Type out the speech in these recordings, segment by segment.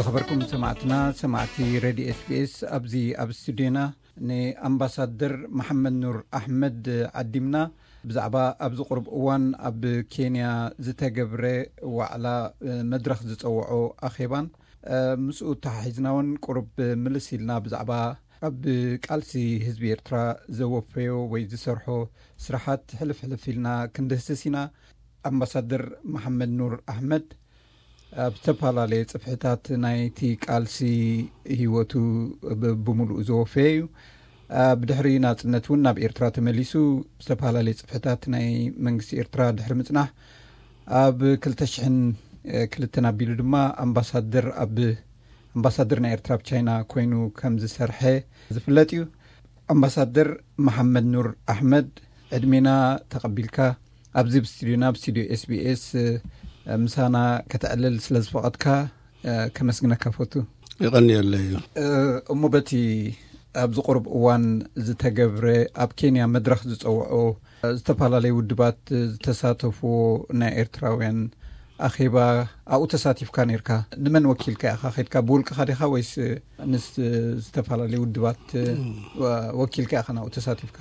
ዝኸበርኩም ሰማዕትና፣ ሰማዕቲ ሬድዮ ኤስቢኤስ፣ ኣብዚ ኣብ ስቱዲዮና ንኣምባሳደር መሓመድ ኑር ኣሕመድ ዓዲምና፣ ብዛዕባ ኣብዚ ቁሩብ እዋን ኣብ ኬንያ ዝተገብረ ዋዕላ፣ መድረኽ ዝጸውዖ ኣኼባን ምስኡ ተሓሒዝና እውን ቁሩብ ምልስ ኢልና ብዛዕባ ኣብ ቃልሲ ህዝቢ ኤርትራ ዘወፈዮ ወይ ዝሰርሖ ስራሓት ሕልፍ ሕልፍ ኢልና ክንድህስስ ኢና። ኣምባሳደር መሓመድ ኑር ኣሕመድ ኣብ ዝተፈላለየ ጽፍሕታት ናይቲ ቃልሲ ህይወቱ ብ-፣ ብምሉኡ ዘወፈየ እዩ። ብድሕሪ ናጽነት እውን ናብ ኤርትራ ተመሊሱ፣ ዝተፈላለየ ጽፍሕታት ናይ መንግስቲ ኤርትራ ድሕሪ ምጽናሕ፣ ኣብ ክልተ ሽሕን ክልተን ኣቢሉ ድማ ኣምባሳደር ኣብ ኣምባሳደር ናይ ኤርትራ ኣብ ቻይና ኮይኑ ከም ዝሰርሐ ዝፍለጥ እዩ። ኣምባሳደር መሓመድ ኑር ኣሕመድ፣ ዕድሜና ተቐቢልካ ኣብዚ ኣብ ስቱዲዮና፣ ኣብ ስቱዲዮ ኤስቢኤስ ምሳና ከተዕልል ስለ ዝፈቐድካ ከመስግነካ ፈቱ። ይቐንየለይ እዩ። እሞ በቲ ኣብዚ ቁሩብ እዋን ዝተገብረ ኣብ ኬንያ መድረኽ ዝጸውዖ ዝተፈላለዩ ውድባት ዝተሳተፍዎ ናይ ኤርትራውያን ኣኼባ ኣብኡ ተሳቲፍካ ነይርካ። ንመን ወኪልካ ኢኻ ኸድካ? ብውልቅኻ ዲኻ ወይስ ምስ ዝተፈላለዩ ውድባት ወኪልካ ኢኻ ናብኡ ተሳቲፍካ?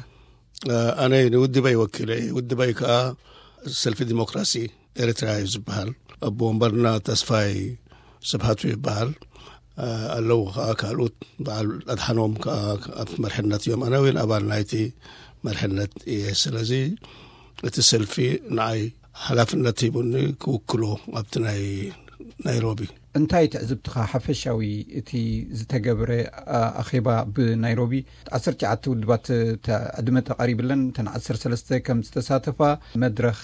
ኣነ ንውድበይ ወኪለ እየ። ውድበይ ከኣ ሰልፊ ዲሞክራሲ ኤርትራ እዩ ዝበሃል። ኣቦ ወንበርና ተስፋይ ስብሃቱ ይበሃል። ኣለዉ ከኣ ካልኦት፣ በዓል ኣድሓኖም ከኣ ኣብቲ መርሕነት እዮም። ኣነ እውን ኣባል ናይቲ መርሕነት እየ። ስለዚ እቲ ሰልፊ ንዓይ ሓላፍነት ሂቡኒ ክውክሎ ኣብቲ ናይ ናይሮቢ። እንታይ ትዕዝብትኻ ሓፈሻዊ እቲ ዝተገብረ ኣኼባ ብናይሮቢ? ዓሰርተ ትሽዓተ ውድባት ዕድመ ተቐሪብለን፣ እተን ዓሰርተ ሰለስተ ከም ዝተሳተፋ፣ መድረኽ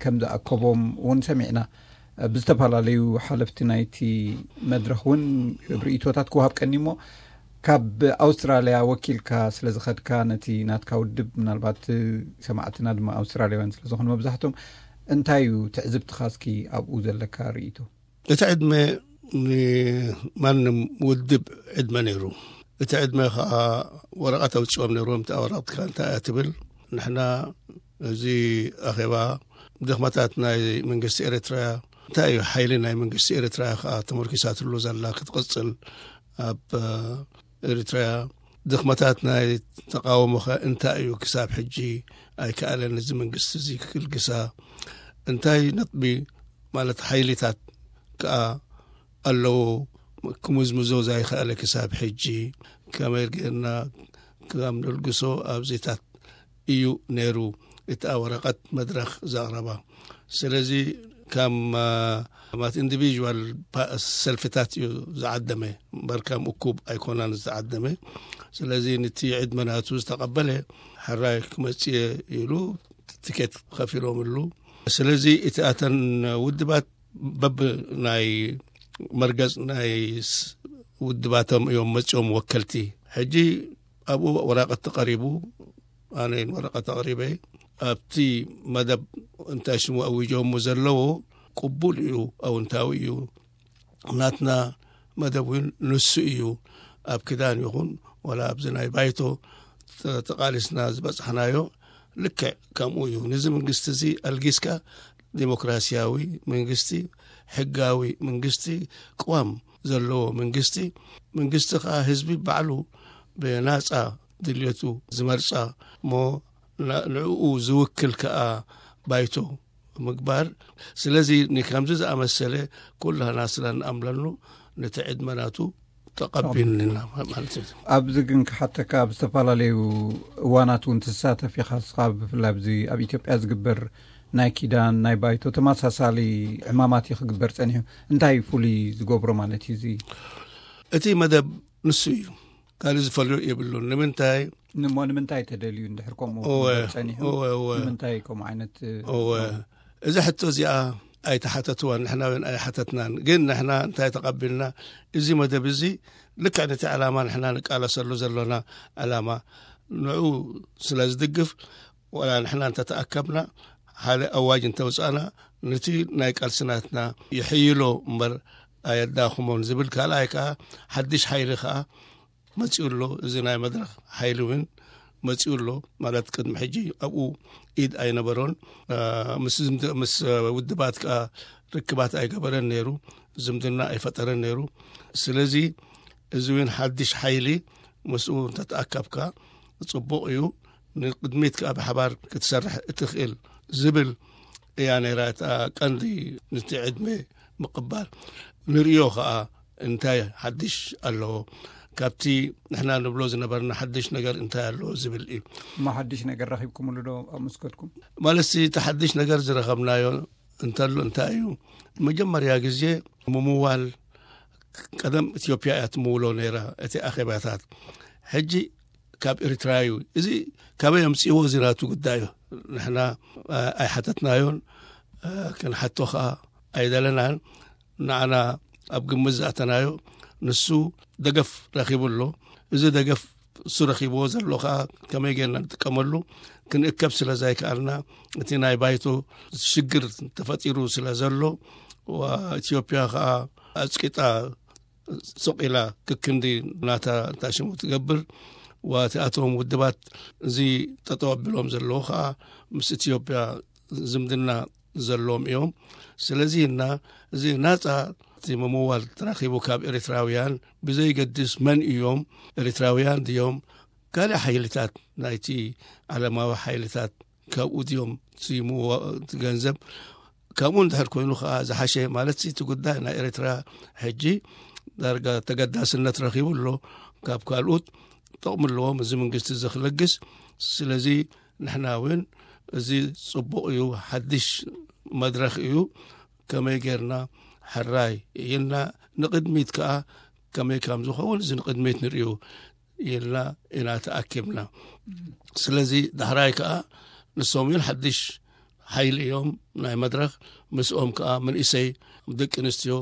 ከም ዝኣከቦም እውን ሰሚዕና። ብዝተፈላለዩ ሓለፍቲ ናይቲ መድረኽ እውን ርእይቶታት ክወሃብ ቀኒ እሞ፣ ካብ ኣውስትራልያ ወኪልካ ስለ ዝኸድካ፣ ነቲ ናትካ ውድብ፣ ምናልባት ሰማዕትና ድማ ኣውስትራልያውያን ስለ ዝኾኑ መብዛሕቶም፣ እንታይ እዩ ትዕዝብትኻ እስኪ ኣብኡ ዘለካ ርእይቶ? እቲ ዕድመ ንማንም ውድብ ዕድመ ነይሩ። እቲ ዕድመ ኸኣ ወረቐት ኣውጺኦም ነይሮም። እታ ወረቐትካ እንታይ እያ ትብል? ንሕና እዚ ኣኼባ ድኽመታት ናይ መንግስቲ ኤርትራ፣ እንታይ እዩ ሓይሊ ናይ መንግስቲ ኤርትራ ኸኣ ተመርኪሳትሉ ዘላ ክትቕጽል ኣብ ኤርትራ፣ ድኽመታት ናይ ተቃውሞኸ እንታይ እዩ? ክሳብ ሕጂ ኣይከኣለን እዚ መንግስቲ እዚ ክግልግሳ። እንታይ ነጥቢ ማለት ሓይሊታት ከኣ ኣለዎ ክምዝምዞ ዘይከኣለ ክሳብ ሕጂ? ከመይ ጌርና ከም ንልግሶ ኣብዚታት እዩ ነይሩ እታ ወረቐት መድረኽ ዘቕረባ። ስለዚ ከም፣ እ፣ ማለት ኢንዲቪዥዋል ፓ-፣ ሰልፍታት እዩ ዝዓደመ እምበር ከም እኩብ ኣይኮናን ዝዓደመ። ስለዚ ነቲ ዕድመ ናቱ ዝተቐበለ ሕራይ ክመጽእ እየ ኢሉ ትኬት ከፊሎምሉ። ስለዚ እቲ ኣተን ውድባት በብ ናይ መርገጽ ናይ ስ-፣ ውድባቶም እዮም መጺኦም ወከልቲ። ሕጂ ኣብኡ ወረቐት ተቐሪቡ፣ ኣነ ወረቐት ኣቕሪበ። ኣብቲ መደብ እንታይ ሽሙ ኣዊጆሞ ዘለዎ ቅቡል እዩ፣ ኣውንታዊ እዩ። ናትና መደብ እውን ንሱ እዩ። ኣብ ክዳን ይኹን ወላ ኣብዚ ናይ ባይቶ ተ-፣ ተቓሊስና ዝበጽሕናዮ ልክዕ ከምኡ እዩ። ነዚ መንግስቲ እዚ ኣልጊስካ ዲሞክራሲያዊ መንግስቲ፣ ሕጋዊ መንግስቲ፣ ቅዋም ዘለዎ መንግስቲ፣ መንግስቲ ከኣ ህዝቢ ባዕሉ ብናጻ ድልየቱ ዝመርጻ እሞ ና-፣ ንዕኡ ዝውክል ከኣ ባይቶ ምግባር። ስለዚ ንከምዚ ዝኣመሰለ ኩላና ስለ ንኣምለሉ ነቲ ዕድመ ናቱ ተቐቢልና ማለት እዩ። ኣብዚ ግን ክሓተካ፣ ኣብ ዝተፈላለዩ እዋናት እውን ትሳተፍ ኢኻ። ንስኻ ብፍላይ ኣብዚ ኣብ ኢትዮጵያ ዝግበር ናይ ኪዳን፣ ናይ ባይቶ ተመሳሳሊ ዕማማት እዩ ክግበር ጸኒሑ። እንታይ እዩ ፍሉይ ዝገብሮ ማለት እዩ እዚ? እቲ መደብ ንሱ እዩ። ካልእ ዝፈልዮ የብሉን። ንምንታይ? ንሞ ንምንታይ ተደልዩ እንድሕር ከምኡ እወ፣ ክግበር ጸኒሑ? እወ፣ እወ። ንምንታይ ከምኡ ዓይነት፣ እወ። እወ። እዚ ሕቶ እዚኣ ኣይተሓተትዋን፣ ንሕና እውን ኣይሓተትናን። ግን ንሕና እንታይ ተቐቢልና? እዚ መደብ እዚ ልክዕ ነቲ ዕላማ ንሕና ንቃለሰሉ ዘሎና ዕላማ ንዑ ስለ ዝድግፍ፣ ወላ ንሕና እንተተኣከብና፣ ሓደ ኣዋጅ እንተውጻእና፣ ነቲ ናይ ቃልሲ ናትና ይሕይሎ እምበር ኣየዳኽሞን ዝብል፣ ካልኣይ ከኣ ሓድሽ ሓይሊ ከኣ መጺኡ ኣሎ። እዚ ናይ መድረኽ ሓይሊ እውን መጺኡ ኣሎ። ማለት ቅድሚ ሕጂ ኣብኡ ኢድ ኣይነበሮን። አ፣ ምስ ዝምድ-፣ ምስ ውድባት ከኣ ርክባት ኣይገበረን ነይሩ፣ ዝምድና ኣይፈጠረን ነይሩ። ስለዚ እዚ እውን ሓድሽ ሓይሊ ምስኡ እንተተኣከብካ ጽቡቕ እዩ፣ ንቅድሚት ከኣ ብሓባር ክትሰርሕ እትኽእል ዝብል እያ ነይራ እታ ቀንዲ፣ ንቲ ዕድመ ምቕባል። ንርእዮ ከኣ እንታይ ሓድሽ ኣለዎ፣ ካብቲ ንሕና ንብሎ ዝነበርና ሓድሽ ነገር እንታይ ኣለዎ ዝብል እዩ። እሞ ሓድሽ ነገር ረኺብኩምሉ ዶ ኣብ መስኮትኩም? ማለት እቲ ሓድሽ ነገር ዝረኸብናዮ እንተሎ እንታይ እዩ? መጀመርያ ግዜ ምምዋል፣ ቀደም ኢትዮጵያ እያ ትምውሎ ነይራ እቲ ኣኼባታት። ሕጂ ካብ ኤርትራ እዩ። እዚ ካበይ ኣምጽእዎ? እዚ ናቱ ጉዳይ እዩ። ንሕና ኣይሓተትናዮን፣ ክንሓቶ ከኣ ኣይደለናን። ንዓና ኣብ ግምት ዝኣተናዮ፣ ንሱ ደገፍ ረኺቡ ኣሎ። እዚ ደገፍ እሱ ረኺብዎ ዘሎ ከኣ ከመይ ጌርና ንጥቀመሉ ክንእከብ ስለ ዘይከኣልና፣ እቲ ናይ ባይቶ ሽግር ተፈጢሩ ስለ ዘሎ፣ ኢትዮጵያ ከኣ ኣጽቂጣ ሱቕ ኢላ ክክንዲ ናታ እንታይ ሽሙ ትገብር፣ ወቲኣቶም ውድባት እዚ ጠጠው ኣቢሎም ዘለዉ ከኣ ምስ ኢትዮጵያ ዝምድና ዘለዎም እዮም። ስለዚ እና እዚ ናጻ እቲ ምምዋል ተረኺቡ ካብ ኤርትራውያን፣ ብዘይገድስ መን እዮም፣ ኤርትራውያን ድዮም፣ ካልእ ሓይልታት ናይቲ ዓለማዊ ሓይልታት ካብኡ ድዮም፣ እቲ ምዋ-፣ እቲ ገንዘብ ካብኡ እንድሕር ኮይኑ ከኣ ዝሓሸ፣ ማለት እቲ ጉዳይ ናይ ኤርትራ ሕጂ ዳርጋ ተገዳስነት ረኺቡ ኣሎ። ካብ ካልኦት ጥቕሚ ኣለዎም እዚ መንግስቲ እዚ ክለግስ። ስለዚ ንሕና እውን እዚ ጽቡቕ እዩ፣ ሓድሽ መድረኽ እዩ፣ ከመይ ጌርና ሕራይ ኢልና ንቕድሚት ከኣ ከመይ ከም ዝኸውን እዚ ንቕድሚት ንርእዩ ኢልና ኢና ተኣኪብና። ስለዚ ዳሕራይ ከኣ ንሶም እውን ሓድሽ ሓይሊ እዮም ናይ መድረኽ፣ ምስኦም ከኣ መንእሰይ ደቂ ኣንስትዮ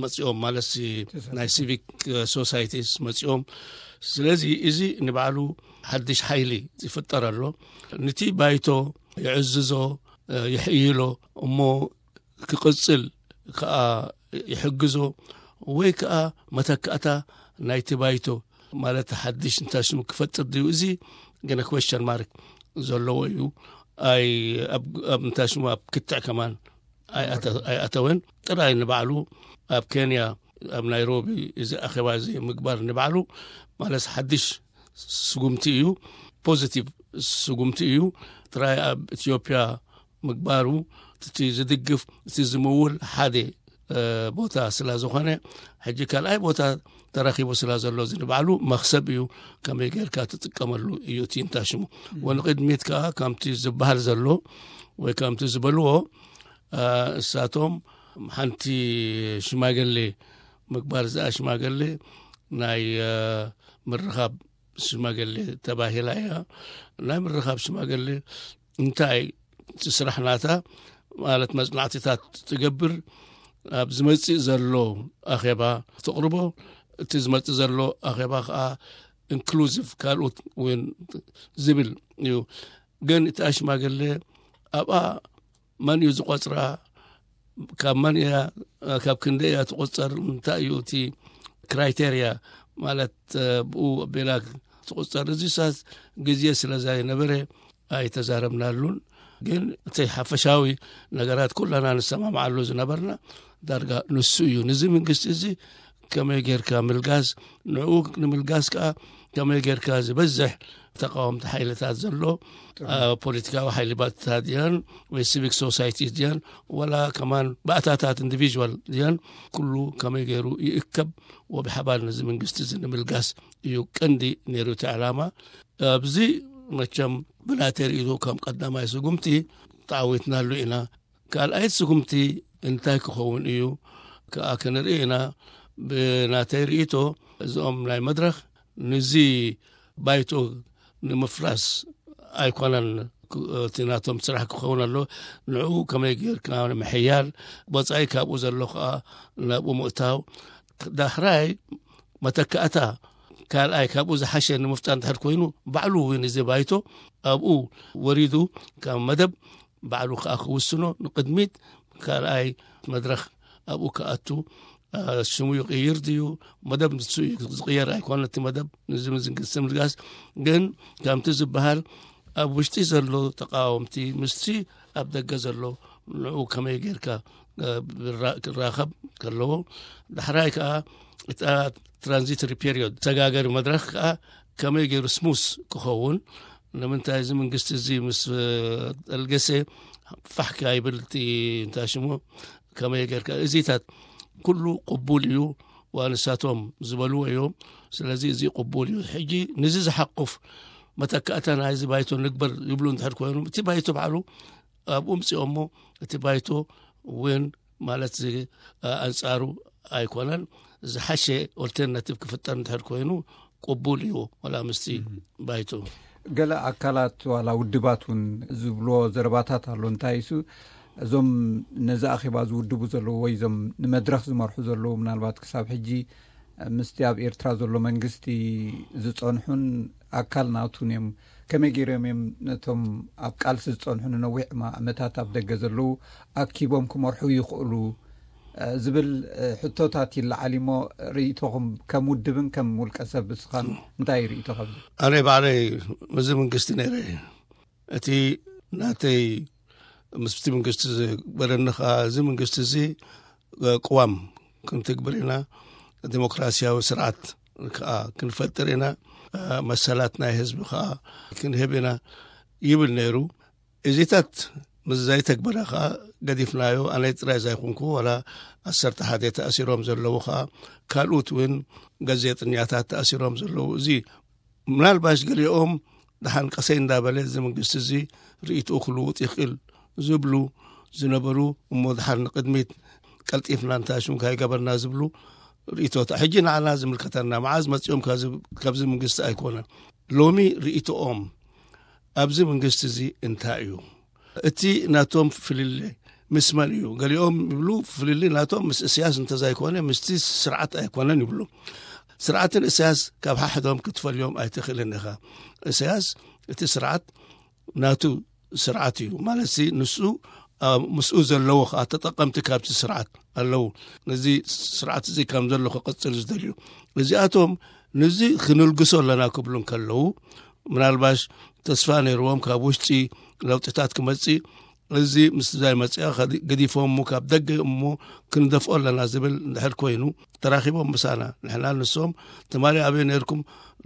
መጺኦም፣ ማለት ናይ ሲቪክ ሶሳይቲስ መጺኦም። ስለዚ እዚ ንባዕሉ ሓድሽ ሓይሊ ይፍጠር ኣሎ። ነቲ ባይቶ ይዕዝዞ፣ ይሕይሎ፣ እሞ ክቕጽል ከኣ ይሕግዞ፣ ወይ ከኣ መተካእታ ናይቲ ባይቶ፣ ማለት ሓድሽ እንታይ ሽሙ ክፈጥር ድዩ? እዚ ገና ኩዌስቸን ማርክ ዘለዎ እዩ። ኣይ፣ ኣብ፣ ኣብ እንታይ ሽሙ ኣብ ክትዕ ከማን ኣይኣተ-፣ ኣይኣተወን። ጥራይ ንባዕሉ ኣብ ኬንያ፣ ኣብ ናይሮቢ እዚ ኣኼባ እዚ ምግባር ንባዕሉ ማለት ሓድሽ ስጉምቲ እዩ፣ ፖዚቲቭ ስጉምቲ እዩ። ጥራይ ኣብ ኢትዮጵያ ምግባሩ እቲ ዝድግፍ፣ እቲ ዝምውል ሓደ፣ እ፣ ቦታ ስለ ዝኾነ፣ ሕጂ ካልኣይ ቦታ ተረኺቡ ስለ ዘሎ፣ እዚ ንባዕሉ መኽሰብ እዩ። ከመይ ጌርካ ትጥቀመሉ እዩ እቲ እንታይ ሽሙ። ወንቅድሚት ከኣ ከምቲ ዝበሃል ዘሎ ወይ ከምቲ ዝበልዎ፣ እ፣ እሳቶም ሓንቲ ሽማግሌ ምግባር፣ እዚኣ ሽማግሌ ናይ፣ እ፣ ምርኻብ ሽማግሌ ተባሂላ እያ። ናይ ምርኻብ ሽማግሌ እንታይ እቲ ስራሕ ናታ ማለት መጽናዕትታት ትገብር፣ ኣብ ዝመጽእ ዘሎ ኣኼባ ተቕርቦ። እቲ ዝመጽእ ዘሎ ኣኼባ ከኣ ኢንክሉዚቭ፣ ካልኦት እውን ዝብል እዩ። ግን እቲ ሽማግሌ ኣብኣ መን እዩ ዝቆጽራ፣ ካብ መን እያ፣ ካብ ክንደይ እያ ትቆጸር፣ እንታይ እዩ እቲ ክራይቴርያ ማለት፣ እ፣ ብኡ ኣቢላ ትቆጸር። እዚ ሳስ ግዜ ስለ ዘይነበረ ኣይተዛረብናሉን። ግን እቲ ሓፈሻዊ ነገራት ኩላና ንሰማማዓሉ ዝነበርና ዳርጋ ንሱ እዩ። ነዚ መንግስቲ እዚ ከመይ ጌርካ ምልጋስ፣ ንዕኡ ንምልጋስ ከኣ ከመይ ጌርካ ዝበዝሕ ተቃወምቲ ሓይልታት ዘሎ፣ አ፣ ፖለቲካዊ ሓይሊ ባእታታት ድያን ወይ ሲቪክ ሶሳይቲ ድያን፣ ወላ ከማን ባእታታት ኢንዲቪዥዋል ድያን፣ ኩሉ ከመይ ገይሩ ይእከብ ወብሓባር ነዚ መንግስቲ እዚ ንምልጋስ እዩ ቀንዲ ነይሩ እቲ ዕላማ። ኣብዚ መቸም ብናተይ ርእይቶ ከም ቀዳማይ ስጉምቲ ተዓዊትናሉ ኢና። ካልኣይ ስጉምቲ እንታይ ክኸውን እዩ ከኣ ክንርኢ ኢና። ብናተይ ርእይቶ እዚኦም ናይ መድረኽ ንዚ ባይቶ ንምፍራስ ኣይኮነን ክ-፣ እቲ ናቶም ስራሕ ክኸውን ኣሎ። ንዕኡ ከመይ ጌርካ ምሕያል፣ ወጻኢ ካብኡ ዘሎ ከኣ ናብኡ ምእታው። ዳሕራይ መተካእታ ካልኣይ ካብኡ ዝሓሸ ንምፍጣር እንድሕር ኮይኑ፣ ባዕሉ እውን እዚ ባይቶ ኣብኡ ወሪዱ ካብ መደብ ባዕሉ ከኣ ክውስኖ፣ ንቅድሚት ካልኣይ መድረኽ ኣብኡ ክኣቱ፣ አ፣ ሽሙ ይቕይር ድዩ፣ መደብ ንሱ እዩ ዝቕየር ኣይኮነ። እቲ መደብ ንዚ ምዝንግስቲ ምልጋስ ግን ከምቲ ዝበሃል ኣብ ውሽጢ ዘሎ ተቃወምቲ ምስቲ ኣብ ደገ ዘሎ ንዑ ከመይ ጌርካ ክራኸብ ከለዎ፣ ዳሕራይ ከዓ እታ ትራንዚተሪ ፔሪዮድ፣ ሰጋገሪ መድረክ ከዓ ከመይ ገይሩ ስሙስ ክኸውን፣ ንምንታይ እዚ መንግስቲ እዚ ምስ ጠልገሰ ፋሕካ ይብል እቲ እንታይ ሽሙ፣ ከመይ ጌርካ እዚታት ኩሉ ቅቡል እዩ፣ ዋንሳቶም ዝበልዎ እዮም። ስለዚ እዚ ቅቡል እዩ። ሕጂ ንዚ ዝሓቁፍ መተካእታ ናይዚ ባይቶ ንግበር ይብሉ እንድሕር ኮይኑ፣ እቲ ባይቶ ባዕሉ ኣብኡ ምፅኦሞ፣ እቲ ባይቶ እውን ማለት እዚ ኣንፃሩ ኣይኮነን። ዝሓሸ ኦልተርናቲቭ ክፍጠር እንድሕር ኮይኑ ቅቡል እዩ፣ ዋላ ምስቲ ባይቶ። ገለ ኣካላት ዋላ ውድባት እውን ዝብልዎ ዘረባታት ኣሎ። እንታይ እሱ፣ እዞም ነዚ ኣኼባ ዝውድቡ ዘለዉ ወይ እዞም ንመድረኽ ዝመርሑ ዘለዉ፣ ምናልባት ክሳብ ሕጂ ምስቲ ኣብ ኤርትራ ዘሎ መንግስቲ ዝጸንሑን ኣካል ናቱን እዮም። ከመይ ገይሮም እዮም ነቶም ኣብ ቃልሲ ዝጸንሑ ንነዊሕ ዓመታት ኣብ ደገ ዘለዉ ኣኪቦም ክመርሑ ይኽእሉ ዝብል ሕቶታት ይለዓል እሞ፣ ርእይቶኹም ከም ውድብን ከም ውልቀ ሰብ እስኻን እንታይ ርእይቶ? ኣብዚ ኣነ ባዕለይ ምስዚ መንግስቲ ነይረ። እቲ ናተይ ምስቲ መንግስቲ ዝግበረኒ ኸዓ፣ እዚ መንግስቲ እዚ ቅዋም ክንትግብር ኢና፣ ዲሞክራሲያዊ ስርዓት ከዓ ክንፈጥር ኢና፣ መሰላት ናይ ህዝቢ ከዓ ክንህብ ኢና ይብል ነይሩ። እዚታት ምስ ዘይተግበረ ከዓ ገዲፍናዮ። ኣነ ጥራይ ዘይኮንኩ፣ ዋላ ዓሰርተ ሓደ ተኣሲሮም ዘለዉ ከዓ፣ ካልኡት እውን ጋዜጠኛታት ተኣሲሮም ዘለዉ። እዚ ምናልባሽ ገሊኦም ደሓን ቀሰይ እንዳበለ እዚ መንግስቲ እዚ ርእይትኡ ክልውጥ ይኽእል ዝብሉ ዝነበሩ፣ እሞ ደሓን ንቅድሚት ቀልጢፍና እንታይ ሽም ካይገበርና ዝብሉ ርእይቶታ። ሕጂ ንዓና ዝምልከተና፣ መዓዝ መጺኦም ካብዚ፣ ካብዚ መንግስቲ ኣይኮነን። ሎሚ ርእይቶኦም ኣብዚ መንግስቲ እዚ እንታይ እዩ? እቲ ናቶም ፍልልይ ምስ መን እዩ? ገሊኦም ይብሉ፣ ፍልልይ ናቶም ምስ እስያስ እንተዘይኮነ ምስቲ ስርዓት ኣይኮነን ይብሉ። ስርዓትን እስያስ ካብ ሓሕዶም ክትፈልዮም ኣይትኽእልን ኢኻ። እስያስ እቲ ስርዓት ናቱ ስርዓት እዩ። ማለት ሲ ንሱ፣ ኣ፣ ምስኡ ዘለዉ ኸዓ ተጠቀምቲ ካብቲ ስርዓት ኣለዉ። ነዚ ስርዓት እዚ ከም ዘሎ ክቕጽል ዝደልዩ። እዚኣቶም ነዚ ክንልግሶ ኣለና ክብሉ እንከለዉ፣ ምናልባሽ ተስፋ ነይርዎም ካብ ውሽጢ ለውጥታት ክመጽእ፣ እዚ ምስ ዛይ መጽኣ ከዲ-፣ ገዲፎም እሞ ካብ ደገ እሞ ክንደፍኦ ኣለና ዝብል እንድሕር ኮይኑ፣ ተራኺቦም ምሳና፣ ንሕና ንሶም ትማሊ ኣበይ ነይርኩም፣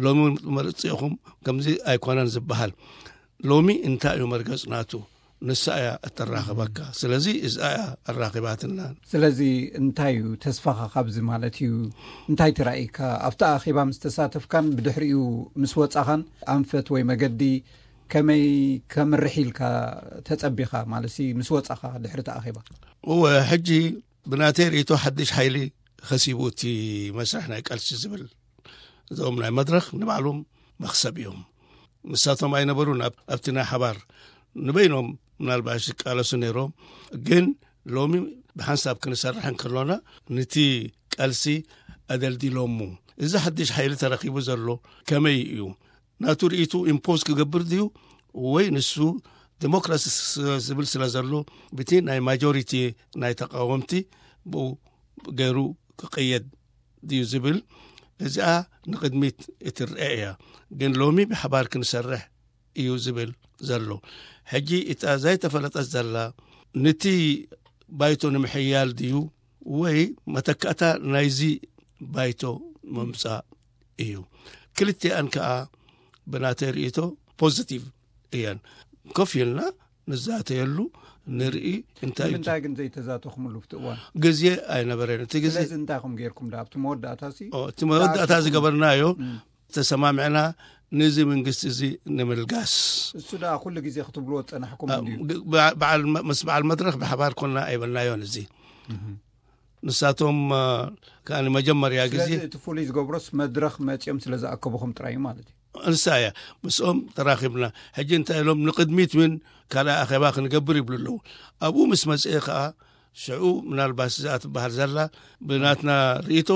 ሎሚ መርጽ ኢኹም፣ ከምዚ ኣይኮነን ዝበሃል። ሎሚ እንታይ እዩ መርገጽ ናቱ? ንሳ እያ እተራኽበካ። ስለዚ እዚኣ እያ ኣራኺባትና። ስለዚ እንታይ እዩ ተስፋኻ ካብዚ ማለት እዩ? እንታይ ትራእይካ? ኣብቲ ኣኼባ ምስ ተሳተፍካን ብድሕሪኡ ምስ ወጻኻን ኣንፈት ወይ መገዲ ከመይ ከምርሕ ኢልካ ተጸቢኻ? ማለት ሲ ምስ ወጻኻ ድሕሪ እቲ ኣኼባ? እወ፣ ሕጂ ብናተይ ርእይቶ ሓድሽ ሓይሊ ከሲቡ እቲ መስርሕ ናይ ቃልሲ ዝብል፣ እዞም ናይ መድረኽ ንባዕሎም መኽሰብ እዮም። ንሳቶም ኣይነበሩን ኣብ-፣ ኣብቲ ናይ ሓባር፣ ንበይኖም ምናልባሽ ይቃለሱ ነይሮም። ግን ሎሚ ብሓንሳብ ክንሰርሕ እንከሎና፣ ነቲ ቃልሲ ኣደልዲሎሙ። እዚ ሓድሽ ሓይሊ ተረኺቡ ዘሎ ከመይ እዩ? ናቱ ርእይቱ ኢምፖዝ ክገብር ድዩ? ወይ ንሱ ዲሞክራሲ ስ-፣ ዝብል ስለ ዘሎ፣ ብቲ ናይ ማጆሪቲ ናይ ተቃወምቲ ብኡ ገይሩ ክቀየድ ድዩ ዝብል፣ እዚኣ ንቅድሚት እትረአ እያ። ግን ሎሚ ብሓባር ክንሰርሕ እዩ ዝብል ዘሎ። ሕጂ እታ ዘይተፈለጠት ዘላ፣ ነቲ ባይቶ ንምሕያል ድዩ ወይ መተካእታ ናይዚ ባይቶ ምምጻእ እዩ? ክልቲኣን ከኣ ብናተይ ርእይቶ ፖዚቲቭ እየን። ኮፍ ኢልና ንዛተየሉ፣ ንርኢ እንታይ እዩ። ንምንታይ ግን ዘይተዛተኹምሉ ኣብቲ እዋን? ግዜ ኣይነበረን። እቲ ግዜ ስለዚ እንታይ ኢኹም ጌርኩም? ዳ ኣብቲ መወዳእታ ሲ ኦ፣ እቲ መወዳእታ ዝገበርናዮ፣ እም። ተሰማሚዕና ነዚ መንግስቲ እዚ ንምልጋስ። እሱ ደኣ ኩሉ ግዜ ክትብልዎ ዝጸናሕኩም አ፣ እንድዩ። ግ-፣ በዓ-፣ በዓል መ-፣ ምስ በዓል መድረኽ ብሓባር ኮና ኣይበልናዮን እዚ። እህ። ንሳቶም፣ አ፣ ከኣ ንመጀመርያ ግዜ ስለዚ እቲ ፍሉይ ዝገብሮስ መድረኽ መጺኦም ስለ ዝኣከቡኹም ጥራይ እዩ ማለት እዩ። ንሳ እያ። ምስኦም ተራኺብና። ሕጂ እንታይ ኢሎም፣ ንቕድሚት እውን ካልኣይ ኣኼባ ክንገብር ይብሉ ኣለዉ። ኣብኡ ምስ መጽኤ ከኣ፣ ሽዑ ምናልባት እዚኣ ትበሃል ዘላ፣ ብናትና ርእይቶ፣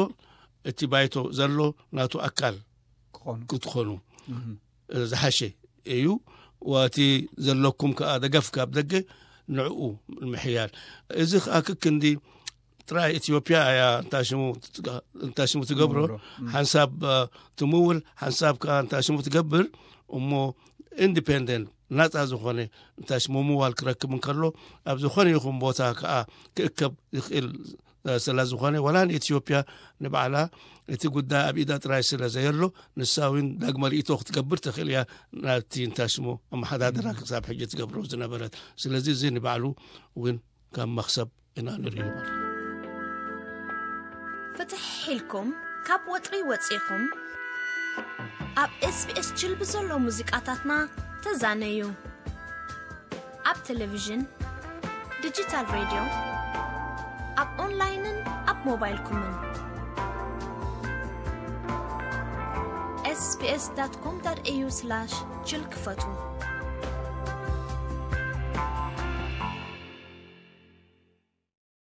እቲ ባይቶ ዘሎ ናቱ ኣካል ክኾኑ። ክትኾኑ እህ። ዝሓሸ እዩ። ወቲ ዘለኩም ከኣ ደገፍ ካብ ደገ ንዕኡ ንምሕያል። እዚ ከኣ ክክንዲ ጥራይ ኢትዮጵያ እያ እንታ ሽሙ ትትጋ-፣ እንታ ሽሙ ትገብሮ። ትምውሎ። እም። ሓንሳብ፣ አ፣ ትምውል፣ ሓንሳብ ከኣ እንታ ሽሙ ትገብር። እሞ ኢንዲፔንደንት ናጻ ዝኾነ እንታይ ሽሙ ምዋል ክረክብ እንከሎ፣ ኣብ ዝኾነ ይኹን ቦታ ከኣ ክእከብ ይኽእል ስለ ዝኾነ፣ ዋላ ንኢትዮጵያ ንባዕላ እቲ ጉዳይ ኣብ ኢዳ ጥራይ ስለ ዘየሎ፣ ንሳ እውን ዳግመ ርእይቶ ክትገብር ትኽእል እያ፣ ናብቲ እንታይ ሽሙ ኣመሓዳድራ ክሳብ ሕጂ ትገብሮ ዝነበረት። ስለዚ እዚ ንባዕሉ እውን ከም መኽሰብ ኢና ንርእዩ ማለት እዩ። ፍትሕ ኢልኩም ካብ ወጥሪ ወፂኹም ኣብ SBS ችል ብዘሎ ሙዚቃታትና ተዛነዩ። ኣብ ቴሌቪዥን፣ ዲጂታል ሬድዮ፣ ኣብ ኦንላይንን ኣብ ሞባይልኩምን። SBS.com.au/ችል ክፈቱ።